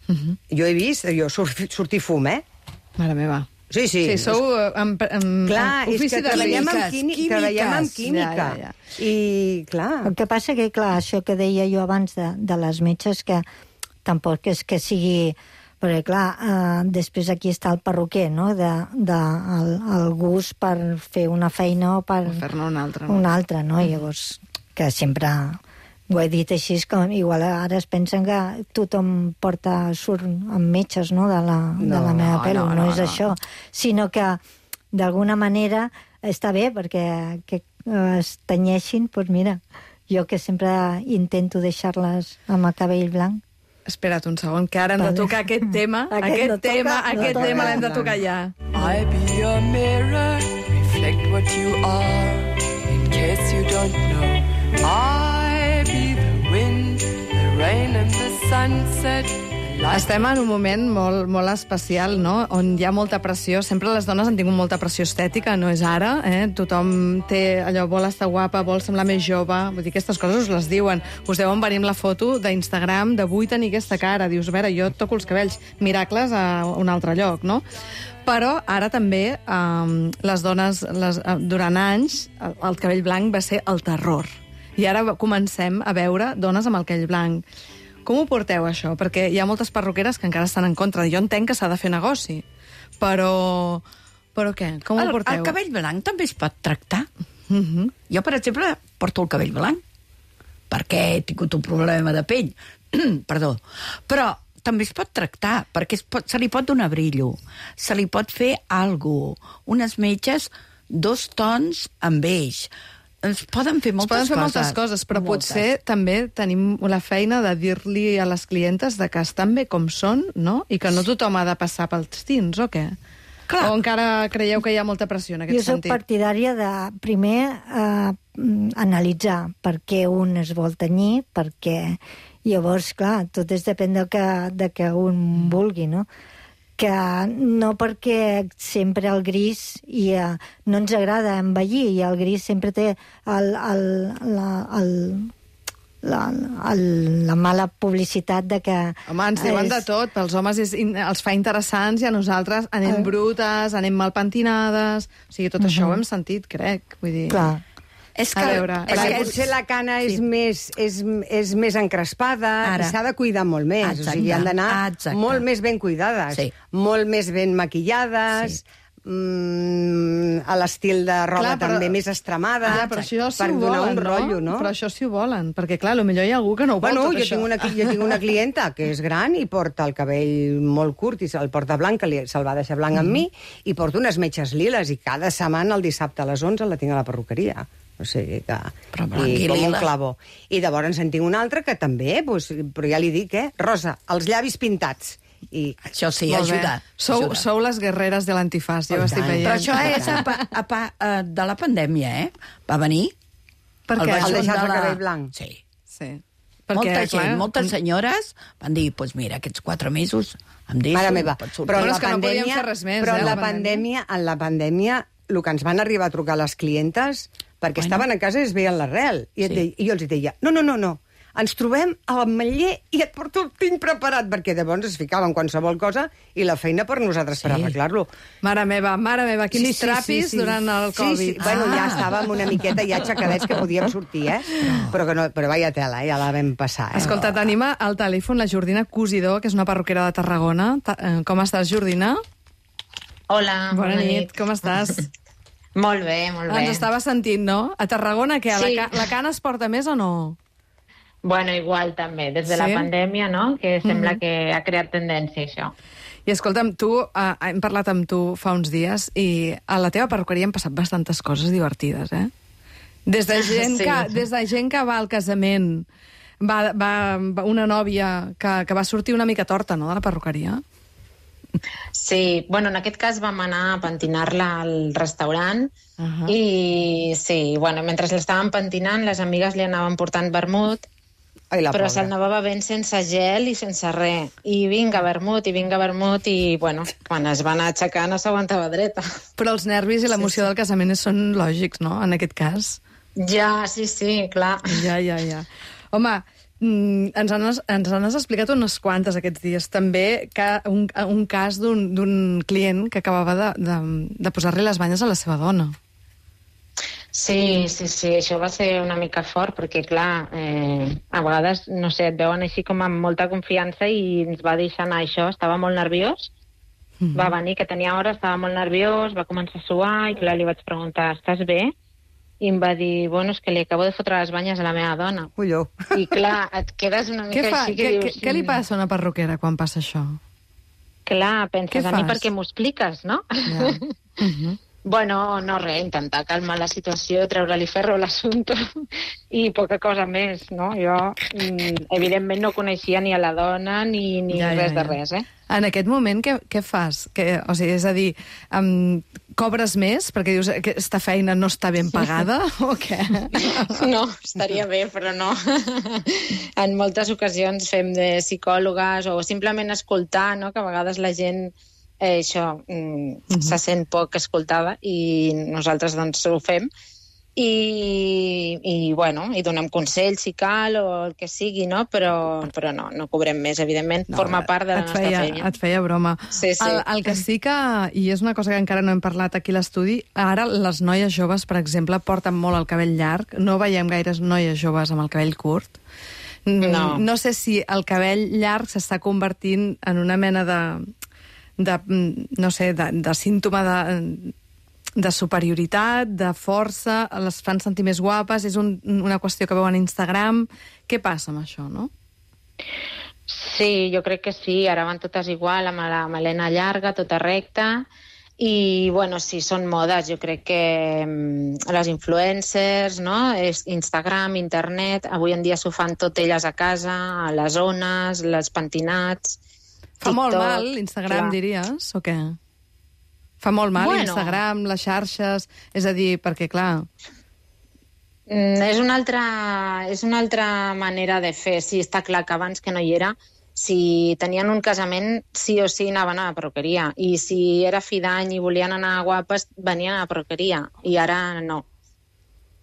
jo he vist, sortir fum, Mare meva. Sí. Sí, sou Clar, és que treballem amb química. Ja. I, clar... El que passa que, clar, això que deia jo abans de les metges, que tampoc és que sigui... Perquè, clar, després aquí està el perruquer, no?, el gust per fer una feina o per... O fer-ne una altra. Una altra, no? Llavors, que sempre... Ho he dit així, que igual ara es pensen que tothom surt amb metges, no?, de la meva pell. No és això. Sinó que, d'alguna manera, està bé perquè que es tenyeixin, doncs mira, jo que sempre intento deixar-les amb el cabell blanc. Espera't un segon, que ara hem de tocar aquest tema. Aquest tema l'hem de tocar ja. I be your mirror, reflect what you are, in case you don't know. I be the wind, the rain and the sunset. Estem en un moment molt especial, no?, on hi ha molta pressió. Sempre les dones han tingut molta pressió estètica, no és ara, Tothom té allò, vol estar guapa, vol semblar més jove. Vull dir, aquestes coses us les diuen. Us deuen venir amb la foto d'Instagram de vull tenir aquesta cara. Dius, a veure, jo et toco els cabells. Miracles a un altre lloc, no? Però ara també les dones, durant anys, el cabell blanc va ser el terror. I ara comencem a veure dones amb el cabell blanc. Com ho porteu, això? Perquè hi ha moltes perruqueres que encara estan en contra. Jo entenc que s'ha de fer negoci, però què? Com ho porteu? El cabell blanc també es pot tractar. Jo, per exemple, porto el cabell blanc perquè he tingut un problema de pell. Perdó. Però també es pot tractar, perquè se li pot donar brillo, se li pot fer alguna cosa, unes metges, 2 tons amb beix. Es poden fer moltes coses, però potser també tenim la feina de dir-li a les clientes de que estan bé com són, no? I que no tothom ha de passar pels tints, o què? Clar. O encara creieu que hi ha molta pressió en aquest sentit? Jo soc partidària de, primer, analitzar per què un es vol tenyir, perquè llavors, clar, tot depèn de que un vulgui, no? Que no perquè sempre el gris no ens agrada envellir, i el gris sempre té la mala publicitat de que... Home, ens diuen de tot. Pels homes els fa interessants i a nosaltres anem brutes, anem mal pentinades... O sigui, tot això ho hem sentit, crec. Vull dir... Clar. És que, A veure, Perquè potser la cana és més encrespada i s'ha de cuidar molt més. Exacte. O sigui, han d'anar molt més ben cuidades, molt més ben maquillades, a l'estil de roba també més estremada, però això sí per ho donar volen, un rotllo, no? Però això sí ho volen, perquè clar, potser hi ha algú que no ho vol, tot això. Jo tinc una clienta que és gran i porta el cabell molt curt i se'l porta blanc, que se'l va deixar blanc amb mi, i porta unes metges liles i cada setmana el dissabte a les 11 la tinc a la perruqueria. O sigui que... Però blanc i com un lila. clavo. I llavors en tinc un altre que també, però ja li dic, Rosa, els llavis pintats. I això sí, Molt bé. ajuda. Sou les guerreres de l'antifàs, jo ho estic veient. Però això és de la pandèmia, Va venir... Per què? El deixar-se el cabell blanc. Sí. Sí. Perquè, moltes senyores van dir, doncs mira, aquests 4 mesos em deixo... Mare meva, Però és que no podíem fer res més, però eh, en la pandèmia, el que ens van arribar a trucar les clientes, perquè estaven a casa i es veien l'arrel. I jo els deia, no, ens trobem a l'Ametller i et porto el tinc preparat, perquè llavors es ficaven qualsevol cosa i la feina per nosaltres per arreglar-lo. Mare meva, quins trapis durant el Covid. Sí. Bueno, ja estàvem una miqueta ja aixecadets que podíem sortir, Però vaya tela, ja la vam passar, Escolta, tenim al telèfon la Jordina Cosidor, que és una perruquera de Tarragona. Com estàs, Jordina? Hola, bona nit. Com estàs? Molt bé, molt bé. Ens estava sentint, no? A Tarragona, què? Sí. La cana es porta més o no? Bueno, igual també, des de la pandèmia, no?, que sembla que ha creat tendència, això. I escolta'm, hem parlat amb tu fa uns dies i a la teva perruqueria han passat bastantes coses divertides, Des de gent que va al casament, va una nòvia que va sortir una mica torta, no?, de la perruqueria. Sí, bueno, en aquest cas vam anar a pentinar-la al restaurant i sí, bueno, mentre l'estaven pentinant les amigues li anaven portant vermut, però se'l anava bevent sense gel i sense res. I vinga vermut, i bueno, quan es va anar aixecar no s'aguantava dreta. Però els nervis i l'emoció del casament són lògics, no?, en aquest cas. Ja, sí, clar. Ja. Home, ens has explicat unes quantes aquests dies. També un cas d'un client que acabava de posar-li les banyes a la seva dona. Sí, això va ser una mica fort, perquè, clar, a vegades, no sé, et veuen així com amb molta confiança i ens va deixar anar això, estava molt nerviós, va venir, que tenia hora, estava molt nerviós, va començar a suar, i clar, li vaig preguntar, estàs bé? I em va dir, bueno, és que li acabo de fotre les banyes a la meva dona. Ulló. I clar, et quedes una mica així que dius... Què li passa a una perruquera quan passa això? Clar, penses, a mi perquè m'ho expliques, no? Ja. Bueno, no res, intentar calmar la situació, treure-li ferro a l'assumpte i poca cosa més, no? Jo, evidentment, no coneixia ni a la dona ni res de res, En aquest moment, què fas? O sigui, és a dir, cobres més perquè dius que aquesta feina no està ben pagada o què? No, estaria bé, però no. En moltes ocasions fem de psicòlogues o simplement escoltar, no?, que a vegades la gent se sent poc escoltada i nosaltres doncs ho fem i bueno, i donem consells si cal o el que sigui, no? Però no cobrem més, evidentment, forma part de la nostra feina. Et feia broma. Sí. El que sí que, i és una cosa que encara no hem parlat aquí a l'estudi, ara les noies joves, per exemple, porten molt el cabell llarg, no veiem gaires noies joves amb el cabell curt. No sé si el cabell llarg s'està convertint en una mena de símptoma de superioritat, de força, les fan sentir més guapes, és una qüestió que veuen a Instagram. Què passa amb això, no? Sí, jo crec que sí, ara van totes igual, amb la melena llarga, tota recta, i, bueno, sí, són modes. Jo crec que les influencers, no?, Instagram, internet, avui en dia s'ho fan tot elles a casa, a les zones, les pentinats... Fa molt mal l'Instagram, diries, o què? Fa molt mal l'Instagram, les xarxes... És a dir, perquè, clar... És una altra manera de fer. Sí, està clar que abans que no hi era, si tenien un casament, sí o sí anaven a la perruqueria. I si era fi d'any i volien anar guapes, venien a la perruqueria. I ara no.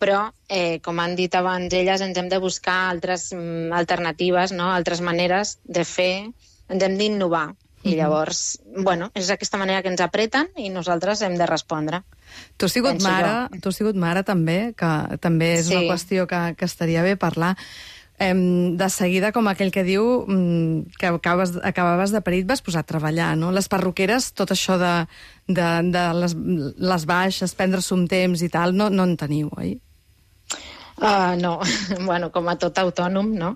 però, com han dit abans elles, ens hem de buscar altres alternatives, no? Altres maneres de fer, ens hem d'innovar. I llavors, bueno, és aquesta manera que ens apreten i nosaltres hem de respondre. Tu has sigut mare també, que també és una qüestió que estaria bé parlar. De seguida, com aquell que diu que acabaves de parir, et vas posar a treballar, no? Les perruqueres, tot això de les baixes, prendre-se un temps i tal, no en teniu, oi? No, bueno, com a tot autònom, no?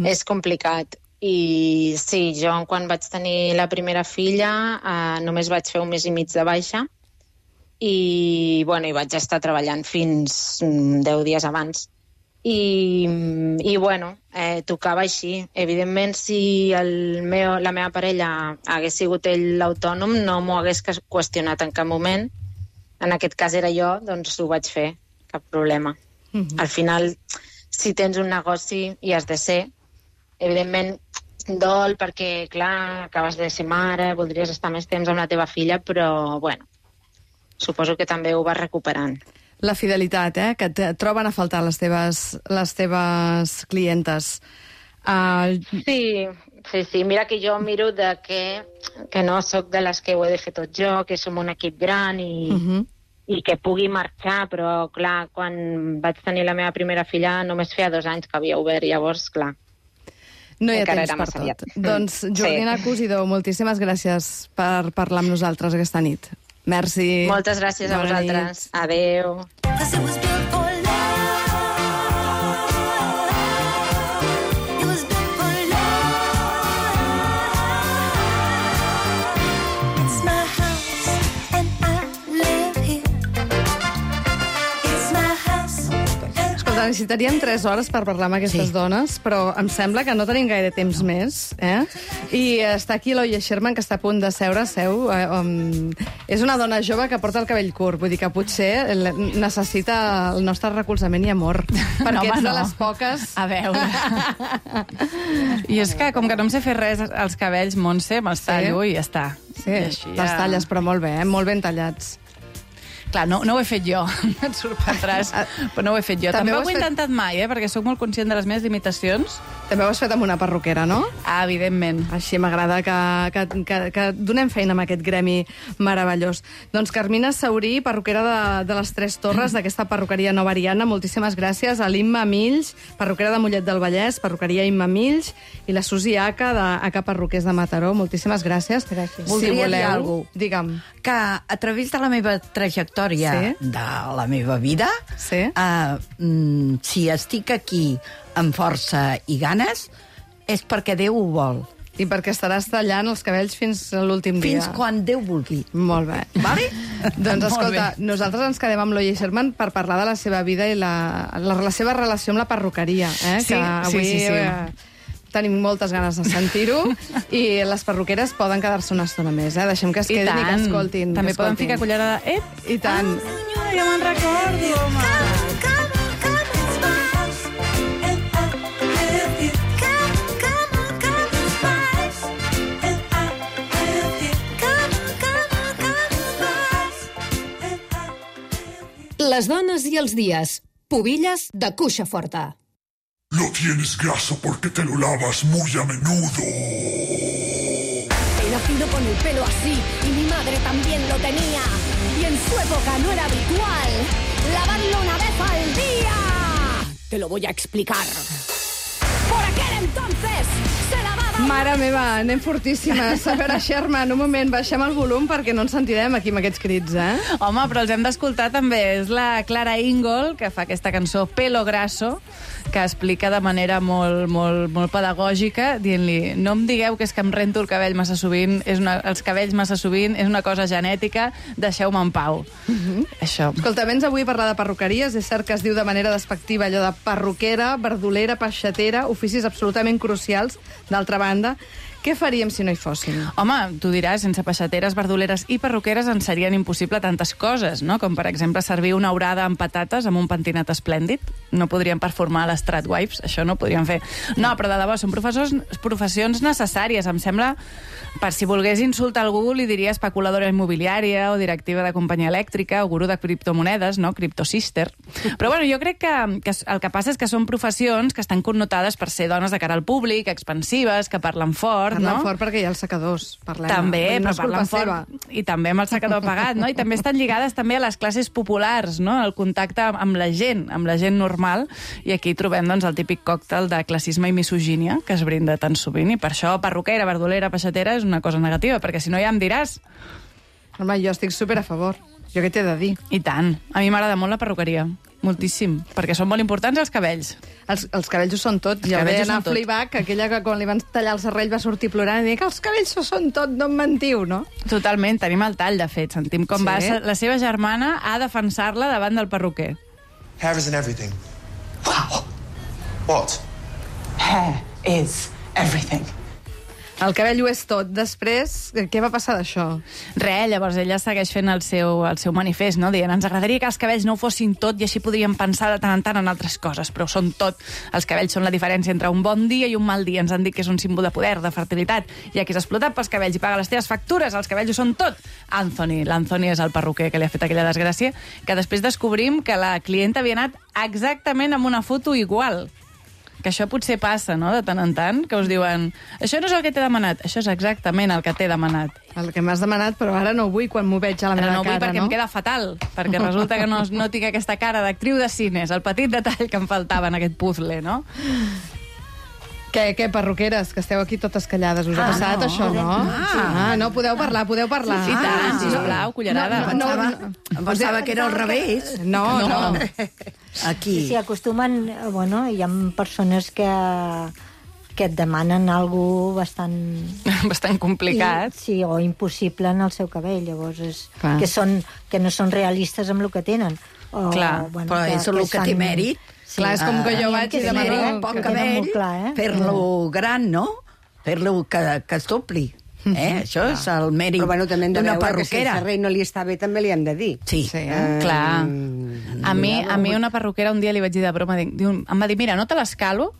És complicat. I sí, jo quan vaig tenir la primera filla només vaig fer 1 mes i mig de baixa i vaig estar treballant fins 10 dies abans. I bueno, tocava així. Evidentment, si la meva parella hagués sigut ell l'autònom, no m'ho hagués qüestionat en cap moment. En aquest cas era jo, doncs ho vaig fer, cap problema. Al final, si tens un negoci i has de ser, evidentment dol perquè, clar, acabes de ser mare, voldries estar més temps amb la teva filla, però, bueno, suposo que també ho vas recuperant. La fidelitat, que et troben a faltar les teves clientes. Sí. Mira que jo miro que no sóc de les que ho he de fer tot jo, que som un equip gran i que pugui marxar, però, clar, quan vaig tenir la meva primera filla només feia 2 anys que havia obert, llavors, clar, no hi ha temps per tot. Doncs, Jordina Cosidó, moltíssimes gràcies per parlar amb nosaltres aquesta nit. Merci. Moltes gràcies a vosaltres. Adéu. Necessitaríem 3 hores per parlar amb aquestes dones, però em sembla que no tenim gaire temps més. I està aquí l'Oia Sherman, que està a punt de seure. És una dona jove que porta el cabell curt, vull dir que potser necessita el nostre recolzament i amor, perquè ets de les poques... A veure... I és que, com que no em sé fer res als cabells, Montse, me'ls tallo i ja està. Sí, te'ls talles, però molt bé, molt ben tallats. Clar, no ho he fet jo, et sorprendràs, però no ho he fet jo. També ho he intentat mai, perquè sóc molt conscient de les meves limitacions. També ho has fet amb una perruquera, no? Evidentment. Així m'agrada que donem feina amb aquest gremi meravellós. Doncs Carmina Saurí, perruquera de les Tres Torres, d'aquesta perruqueria Nova Ariana, moltíssimes gràcies. A l'Imma Mills, perruquera de Mollet del Vallès, perruqueria Imma Mills, i la Susi Aca, d'Aca Perruquers de Mataró. Moltíssimes gràcies. Gràcies. Voldria dir alguna cosa. Digue'm. Que a través de la meva trajectòria, de la meva vida, si estic aquí amb força i ganes, és perquè Déu ho vol. I perquè estaràs tallant els cabells fins a l'últim dia. Fins quan Déu vulgui. Molt bé. Vale? Doncs escolta, nosaltres ens quedem amb l'Oia Sherman per parlar de la seva vida i la seva relació amb la perruqueria. Sí. Tenim moltes ganes de sentir-ho i les perruqueres poden quedar-se una estona més. Deixem que es quedin i que escoltin. També poden ficar cullerada. I tant. Senyora, ja me'n recordo, home. Les dones i els dies. Pubilles de cuixa forta. No tienes grasa porque te lo lavas muy a menudo. He nacido con el pelo así y mi madre también lo tenía. Y en su época no era habitual lavarlo una vez al día. Te lo voy a explicar. Por aquel entonces se lavaba... Mare meva, anem fortíssimes. A veure, Sherman, un moment, baixem el volum perquè no ens sentirem aquí amb aquests crits, Home, però els hem d'escoltar també. És la Clara Ingol, que fa aquesta cançó Pelo Grasso, que explica de manera molt pedagògica, dient-li, no em digueu que és que em rento el cabell massa sovint, els cabells massa sovint, és una cosa genètica, deixeu-me en pau. Això. Escolta, vens avui a parlar de perruqueries, és cert que es diu de manera despectiva allò de perruquera, verdolera, peixatera, oficis absolutament crucials, d'altra banda, Què faríem si no hi fóssim? Home, tu diràs, sense peixateres, verduleres i perruqueres ens serien impossible tantes coses, no? Com, per exemple, servir una orada amb patates amb un pentinat esplèndid. No podríem performar les Stratwipes, això no ho podríem fer. No, però de debò, són professions necessàries. Em sembla, per si volgués insultar algú, li diria especuladora immobiliària o directiva de companyia elèctrica o gurú de criptomonedes, no? Cryptosister. Però, bueno, jo crec que el que passa és que són professions que estan connotades per ser dones de cara al públic, expansives, que parlen fort, Parlen fort perquè hi ha els secadors, parlem. També, no però parlen fort. I també amb el secador pagat, no? I també estan lligades també a les classes populars, no? El contacte amb la gent normal. I aquí trobem, doncs, el típic còctel de classisme i misogínia que es brinda tan sovint. I per això perruquera, verdolera, peixatera és una cosa negativa, perquè si no ja em diràs. Home, jo estic super a favor. Jo què t'he de dir? I tant. A mi m'agrada molt la perruqueria. Moltíssim, perquè són molt importants els cabells. Els cabells ho són tot. Jo vaig anar a Fleabag, aquella que quan li van tallar el serrell va sortir plorant i dir que els cabells ho són tot, no em mentiu, no? Totalment, tenim el tall, de fet. Sentim com va la seva germana a defensar-la davant del perruquer. Hair isn't everything. Wow. What? Hair is everything. El cabell ho és tot. Després, què va passar d'això? Llavors ella segueix fent el seu manifest, no? Dient, ens agradaria que els cabells no ho fossin tot i així podríem pensar de tant en tant en altres coses, però són tot. Els cabells són la diferència entre un bon dia i un mal dia. Ens han dit que és un símbol de poder, de fertilitat. Hi ha qui s'ha explotat pels cabells i paga les teves factures. Els cabells ho són tot. L'Anthony és el perruquer que li ha fet aquella desgràcia, que després descobrim que la clienta havia anat exactament amb una foto igual. Que això potser passa, no?, de tant en tant, que us diuen això no és el que t'he demanat, això és exactament el que t'he demanat. El que m'has demanat, però ara no ho vull quan m'ho veig a la meva cara, no? Ara no ho vull perquè em queda fatal, perquè resulta que no tinc aquesta cara d'actriu de cines, el petit detall que em faltava en aquest puzzle, no? Què, perruqueres, que esteu aquí totes callades? Us ha passat això, no? No, podeu parlar. I tant, sisplau, cullerada. Em pensava que era al revés. No. Aquí. Sí, acostumen... Bueno, hi ha persones que et demanen alguna bastant... Bastant complicat. Sí, o impossible en el seu cabell. Llavors, que no són realistes amb el que tenen. Clar, però és el que té mèrit. Sí, clar, és com que jo vaig i demano poc cabell, fer-lo gran, no? Fer-lo que es dobli. Això és el mèrit d'una perruquera. Que si el serrell no li està bé, també li hem de dir. Sí. Clar. A mi una perruquera un dia li vaig dir de broma, em va dir, mira, no te l'escalo,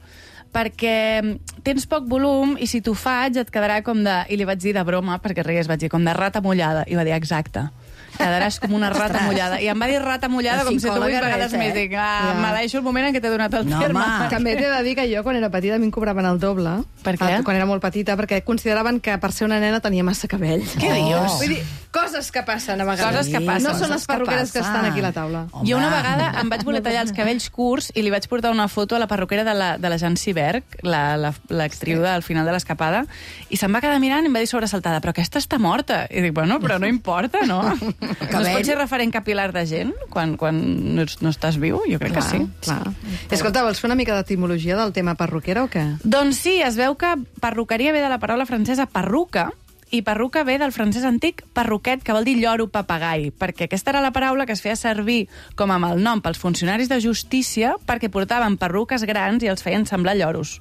perquè tens poc volum i si t'ho faig et quedarà com de... I li vaig dir de broma, perquè rigués, vaig dir com de rata mullada. I va dir, exacte. Quedaràs com una rata mullada. I em va dir rata mullada com si tu 8 vegades més. Dic, me deixo el moment en què t'he donat el terme. També t'he de dir que jo, quan era petita, a mi em cobraven el doble. Per què? Quan era molt petita, perquè consideraven que per ser una nena tenia massa cabell. Què dius? Vull dir, coses que passen a vegades. Coses que passen. No són les perruqueres que estan aquí a la taula. Jo una vegada em vaig voler tallar els cabells curts i li vaig portar una foto a la perruquera de la Jancy Berg, l'actriu del final de l'Escapada, i se'm va quedar mirant i em va dir sobresaltada, però aquesta està morta. I dic, bueno, però no importa, no? No es pot ser referent capilar de gent quan no estàs viu? Jo crec que sí. Clar. Escolta, vols fer una mica d'etimologia del tema perruquera o què? Doncs sí, es veu que perruqueria ve de la paraula francesa perruca, i perruca ve del francès antic perruquet, que vol dir lloro papagai, perquè aquesta era la paraula que es feia servir com a malnom pels funcionaris de justícia perquè portaven perruques grans i els feien semblar lloros.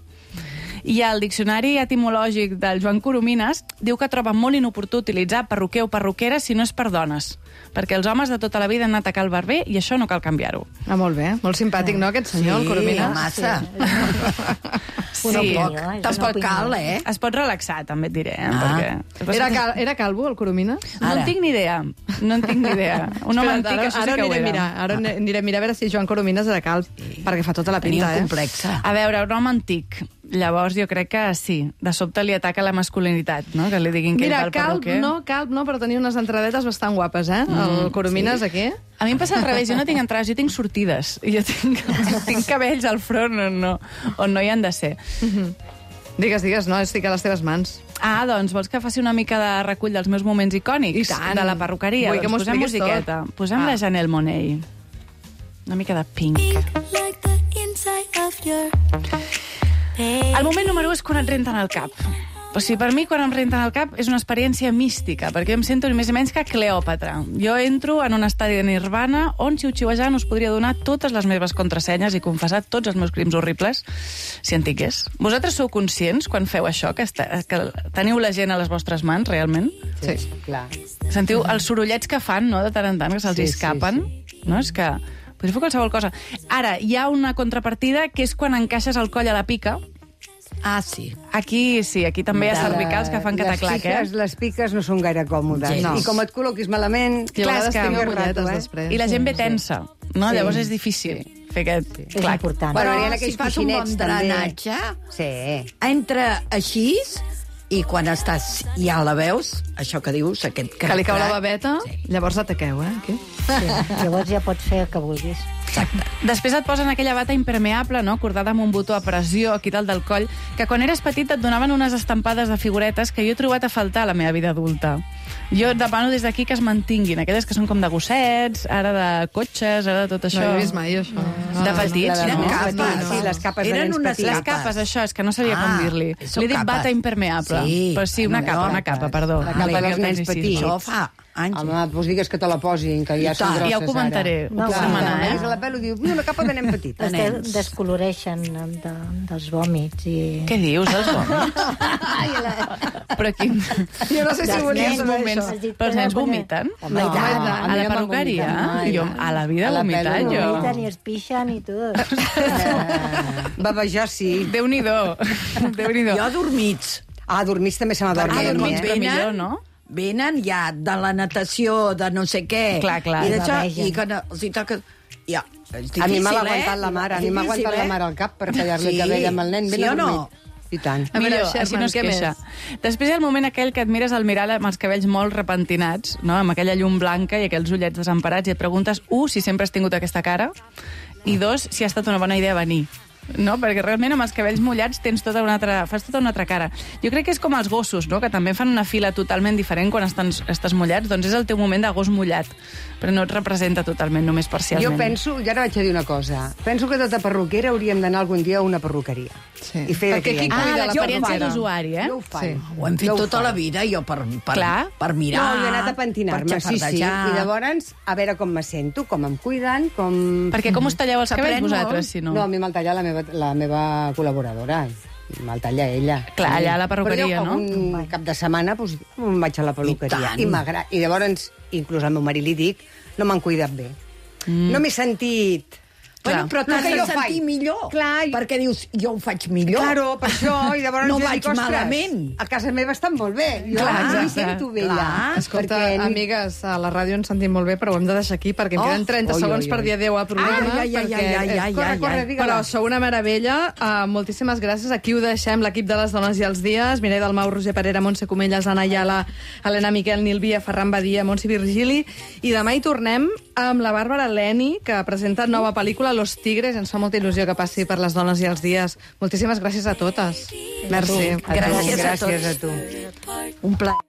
I el diccionari etimològic del Joan Coromines diu que troba molt inoportú utilitzar perruquer o perruquera si no és per dones, perquè els homes de tota la vida han anat a cal barber i això no cal canviar-ho. Molt bé, molt simpàtic, no, aquest senyor, el Coromines? Massa. Sí, tampoc cal, Es pot relaxar, també et diré. Perquè... Era calvo, el Coromines? No en tinc ni idea. Un home antic, això sí que ho era. Ara anirem a mirar a veure si Joan Coromines era calb, perquè fa tota la pinta, complexa. A veure, un home antic. Llavors jo crec que sí, de sobte li ataca la masculinitat, no? Que li diguin que ell va al perruquer. Calb no, però tenia unes entradetes bastant guapes, el Coromines, aquí. A mi em passa al revés, jo no tinc entrades, jo tinc sortides. I jo tinc cabells al front on no hi han de ser. Digues, no, estic a les teves mans. Doncs vols que faci una mica de recull dels meus moments icònics de la perruqueria? Vull que m'ho posem musiqueta. Posem la Janelle Monáe. Una mica de Pink. El moment número 1 és quan et renten al cap. O sigui, per mi, quan em renten el cap, és una experiència mística, perquè jo em sento ni més ni menys que Cleòpatra. Jo entro en un estadi de nirvana on xiu-xiuejant us podria donar totes les meves contrasenyes i confessar tots els meus crims horribles, si en tingués. Vosaltres sou conscients, quan feu això, que teniu la gent a les vostres mans, realment? Sí, clar. Sentiu els sorollets que fan, no?, de tant en tant, que se'ls escapen? No? És que podria fer qualsevol cosa. Ara, hi ha una contrapartida, que és quan encaixes el coll a la pica. Ah, sí. Aquí també hi ha cervicals que fan cataclac, Les piques no són gaire còmodes. No. I com et col·loquis malament... Clar, és que després. I la gent ve tensa, no? Sí. Llavors és difícil fer aquest clac. Bueno, hi ha aquells si fas un bon coixinets, també. drenatge, Sí. entra així i quan estàs ja la veus, això que dius, aquest Que li cau la babeta, llavors ataqueu, Aquí. Sí, llavors ja pots fer el que vulguis. Exacte. Després et posen aquella bata impermeable, no?, cordada amb un botó a pressió aquí dalt del coll, que quan eres petit et donaven unes estampades de figuretes que jo he trobat a faltar a la meva vida adulta. Jo demano des d'aquí que es mantinguin, aquelles que són com de gossets, ara de cotxes, ara de tot això. No he vist mai, això. De petits, no? capes. Sí, les capes de Eren nens unes petits. Les capes, això, és que no sabia com dir-li. són Li he dit capes. bata impermeable. Sí. Però sí, una capa, perdó. La capa dels nens petits. Això fa anys. Home, doncs digues que te la posin, que ja I són tant. grosses, Ja ho comentaré, ara. ho puc demanar, Veus a la pel·li i diu, una capa de nen petit. Es descoloreixen dels vòmits. I... Què dius, dels vòmits? Però quin... Jo no sé si volia saber moments... això. Però els nens vomiten? Home, i tant. A la perruqueria? Jo, a la vida vomitat, jo. Vomiten i es pixen i tot. Babejar, sí. Déu-n'hi-do. Déu-n'hi-do. Jo adormits. Dormits també se m'adormen. Adormits, però millor, no? Venen ja de la natació, de no sé què. Clar. I d'això, Bavegen. i quan els hi toca... Ja, és difícil, A mi me l'ha aguantat la mare, a mi m'ha aguantat la mare al cap per tallar-li el cabell amb el nen ben sí o no? adormit. I tant. A veure, Millor, Sherman, així no es què queixa. Després hi ha el moment aquell que et mires al mirall amb els cabells molt repentinats, no?, amb aquella llum blanca i aquells ullets desemparats, i et preguntes, si sempre has tingut aquesta cara, i 2, si ha estat una bona idea venir. No? Perquè realment amb els cabells mullats fas tota una altra cara. Jo crec que és com els gossos, no?, que també fan una fila totalment diferent quan estàs mullats, doncs és el teu moment de gos mullat, però no et representa totalment, només parcialment. Jo penso, i ara vaig a dir una cosa, penso que tota perruquera hauríem d'anar algun dia a una perruqueria. Sí. I fer Perquè qui cuida la l'experiència perruquera? d'usuari, Jo ho faig. Ho hem fet tota la vida, jo, per mirar... No, jo he anat a pentinar-me, per sí. xafardejar. I llavors, a veure com me sento, com em cuiden, com... Perquè com us talleu els cabells S'aprèn vosaltres, molt. si no? No, a mi me'l talla la meva col·laboradora. Me'l talla ella. Clar, allà a la perruqueria, però jo, un cap de setmana, doncs, em vaig a la perruqueria. I m'agrada. I llavors, inclús al meu marit li dic, no m'han cuidat bé. No m'he sentit... Bueno, però t'has que de jo sentir faig. millor. Clar, perquè dius, jo ho faig millor. Claro, per això, i llavors no jo vaig dic, ostres, malament. a casa meva estan molt bé. Jo Clar, em sento vella. Escolta, perquè... amigues, a la ràdio ens sentim molt bé, però ho hem de deixar aquí perquè em queden 30 segons per dir adéu al programa. Corre, Però sou una meravella. Moltíssimes gràcies. Aquí ho deixem, l'equip de les dones i els dies. Mireia Dalmau, Roger Parera, Montse Comelles, Anna Ayala, Helena Miquel, Nil Via, Ferran Badia, Montse Virgili. I demà hi tornem amb la Bàrbara Leni, que presenta nova pel·lícula Los Tigres. Ens fa molta il·lusió que passi per les dones i els dies. Moltíssimes gràcies a totes. Merci. Gràcies a tots. Gràcies a tu. Un plaer.